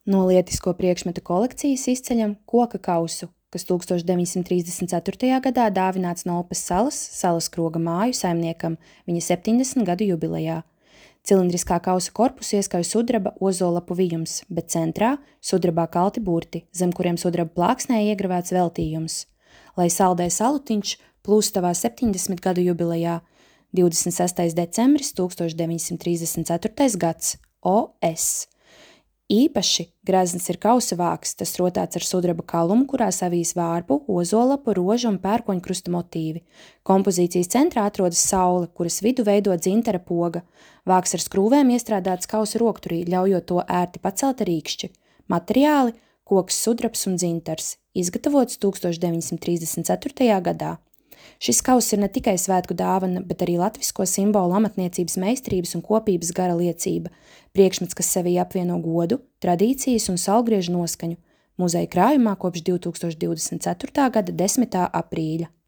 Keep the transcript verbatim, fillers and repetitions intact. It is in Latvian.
No lietisko priekšmetu kolekcijas izceļam koka kausu, kas tūkstoš deviņsimt trīsdesmit ceturtajā gadā dāvināts no Opes salas, salas kroga māju saimniekam viņa septiņdesmit gadu jubilejā. Cilindriskā kausa korpusu ieskauj sudraba ozolapu vijums, bet centrā sudrabā kalti burti, zem kuriem sudraba plāksnē iegravēts veltījums. Lai saldē salutiņš plūstavā septiņdesmit gadu jubilejā, divdesmit sestais decembris tūkstoš deviņsimt trīsdesmit ceturtais gads, O S. Īpaši grezns ir kausa vāks, tas rotāts ar sudraba kalumu, kurā savijas vārpu, ozolapu, rožu un pērkoņkrusta motīvi. Kompozīcijas centrā atrodas saule, kuras vidu veido dzintara poga. Vāks ar skrūvēm iestrādāts kausa rokturī, ļaujot to ērti pacelt ar īkšķi. Materiāli – koks, sudrabs un dzintars, izgatavots tūkstoš deviņsimt trīsdesmit ceturtajā gadā. Šis kauss ir ne tikai svētku dāvana, bet arī latvisko simbolu amatniecības meistarības un kopības gara liecība, priekšmets, kas sevī apvieno godu, tradīcijas un saulgriežu noskaņu, muzeja krājumā kopš divtūkstoš divdesmit ceturtā gada desmitā aprīļa.